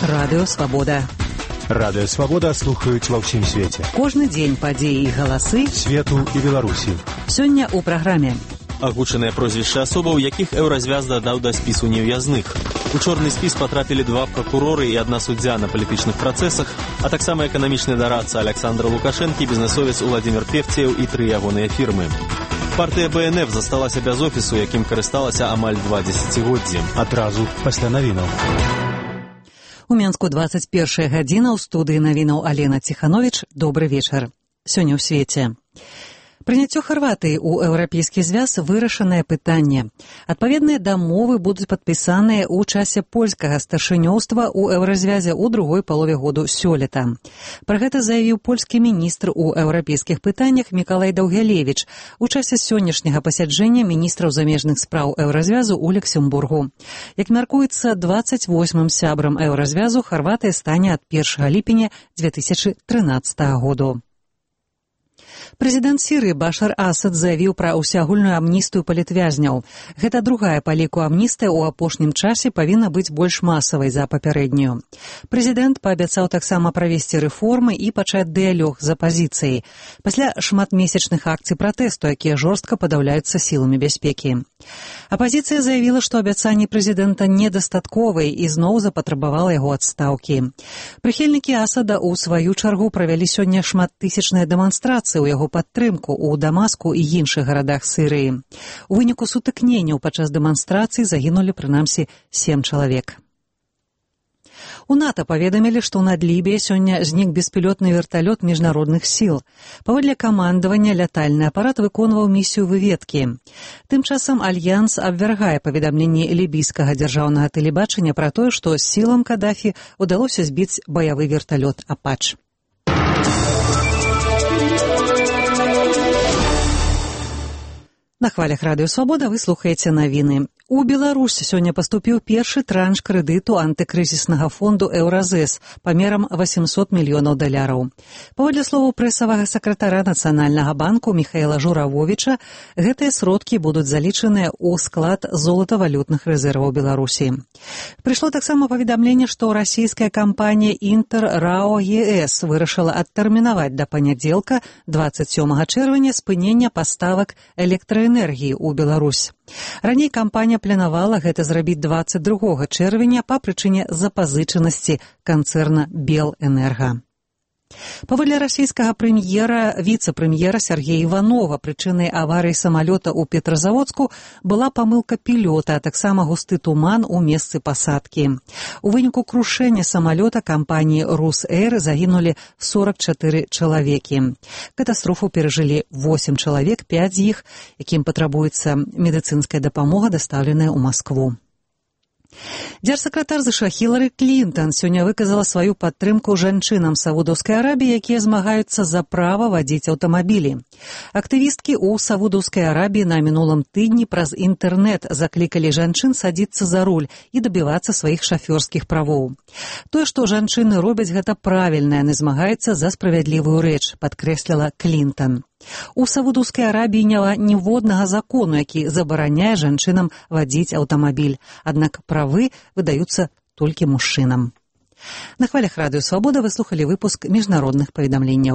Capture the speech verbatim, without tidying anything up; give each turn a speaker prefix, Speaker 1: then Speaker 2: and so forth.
Speaker 1: Радыё Свабода.
Speaker 2: Радыё Свабода слухаюць ва ўсім свеце.
Speaker 1: Кожны дзень падзеі і галасы
Speaker 2: свету і Беларусі.
Speaker 1: Сёння ў праграме.
Speaker 3: Агучаныя прозвішчы асобаў, якіх еўразвяз дадаў да спісу нев'язных. У чорны спіс патрапілі два пракуроры і адна суддзя на палітычных працэсах, а таксама эканамічны дарадца Александр Лукашэнкі, бізнесовец Уладзімір Певцеў і тры ягоныя фірмы. Партыя бэ эн эф засталася без офісу, якім карысталася амаль два дзесяцігоддзі.
Speaker 2: Адразу пасля навінаў.
Speaker 1: У Менску дваццаць першая гадзіна, ў студыі навінаў Алена Ціхановіч. Добры вечар. Сёння ў свеце. Прыняццё Харватыі ў еўрапейскі звяз вырашанае пытанне. Адпаведныя дамовы будуць падпісаныя ў часе польскага старшынёўства ў еўразвязе ў другой палове году сёлета. Пра гэта заявіў польскі міністр у еўрапейскіх пытаннях Мікалай Даўгялевіч у часе сённяшняга пасяджэння міністраў замежных спраў еўразвязу ў Люксембургу. Як мяркуецца, дваццаць восьмым сябрам еўразвязу Харватыя стане ад першага ліпеня дзве тысячы трынаццатага году. Прэзідэнт Сірыі Башар Асад заявіў пра ўсеагульную амністыю палітвязняў. Гэта другая па ліку амністыя ў апошнім часе павінна быць больш масавай за папярэднюю. Прэзідэнт паабяцаў таксама правесці рэформы і пачаць дыялог з апазіцыяй пасля шматмесячных акцый пратэсту, якія жорстка падаўляюцца сіламі бяспекі. Апазіцыя заявіла, што абяцанні прэзідэнта недастатковыя і зноў запатрабавала яго адстаўкі. Прыхільнікі Асада ў сваю чаргу правялі сёння шматтысячныя дэманстрацыі ў яго падтрымку ў Дамаску і іншых гарадах Сірыі. У выніку сутыкненняў падчас дэманстрацый загінулі прынамсі сем чалавек. У НАТО паведамілі, што над Лібіяй сёння знік беспілотны верталёт міжнародных сіл. Паводле камандавання лятальны апарат выконваў місію выведкі. Тым часам Альянс абвяргае паведамленні лібійскага дзяржаўнага тэлебачання пра тое, што сілам Кадафі ўдалося збіць баявы верталёт «Апач». На хвалях Радыё Свабода вы слухаеце навіны. У Беларусі сёння паступіў першы транш крэдыту антыкрызіснага фонду «Еўразэс» памерам восемьсот мільёнаў даляраў. Паводле словаў прэсавага сакратара Нацыянальнага банку Міхаіла Журавовіча, гэтыя сродкі будуць залічаныя ў склад золатавалютных рэзерваў Беларусі. Прыйшло таксама паведамленне, што расійская кампанія «Інтэр РАО ЕС» вырашыла адтэрмінаваць да панядзелка дваццаць сёмага чэрвеня спынення паставак электраэнергіі ў Беларусь. Раней кампанія планавала гэта зрабіць дваццаць другога чэрвеня па прычыне запазычанасці канцэрна «Белэнерга». Паводле расійскага прэм'ера, віцэ-прэм'ера Сергея Іванова, прычынай аварыі самалёта ў Петрозаводску была памылка пілёта, а таксама густы туман у месцы пасадкі. У выніку крушэння самалёта кампаніі «Русэйр» загінулі сорак чатыры чалавекі. Катастрофу перажылі восем чалавек, пяць з іх, якім патрабуецца медыцынская дапамога, дастаўленая ў Маскву. Дзяржсакратар ЗША Хілары Клінтан сёння выказала сваю падтрымку жанчынам Саудаўскай Арабіі, якія змагаюцца за права вадзіць аўтамабілі. Актывісткі ў Саудаўскай Арабіі на мінулым тыдні праз інтэрнэт заклікалі жанчын садзіцца за руль і дабівацца сваіх шафёрскіх правоў. Тое, што жанчыны робяць гэта правільна, яны змагаюцца за справядлівую рэч, падкрэсліла Клінтан. У Саудаўскай Арабіі няма ніводнага закону, які забараняе жанчынам вадзіць аўтамабіль, аднак правы выдаюцца толькі мужчынам. На хвалях Радыё Свабода вы слухалі выпуск міжнародных паведамленняў.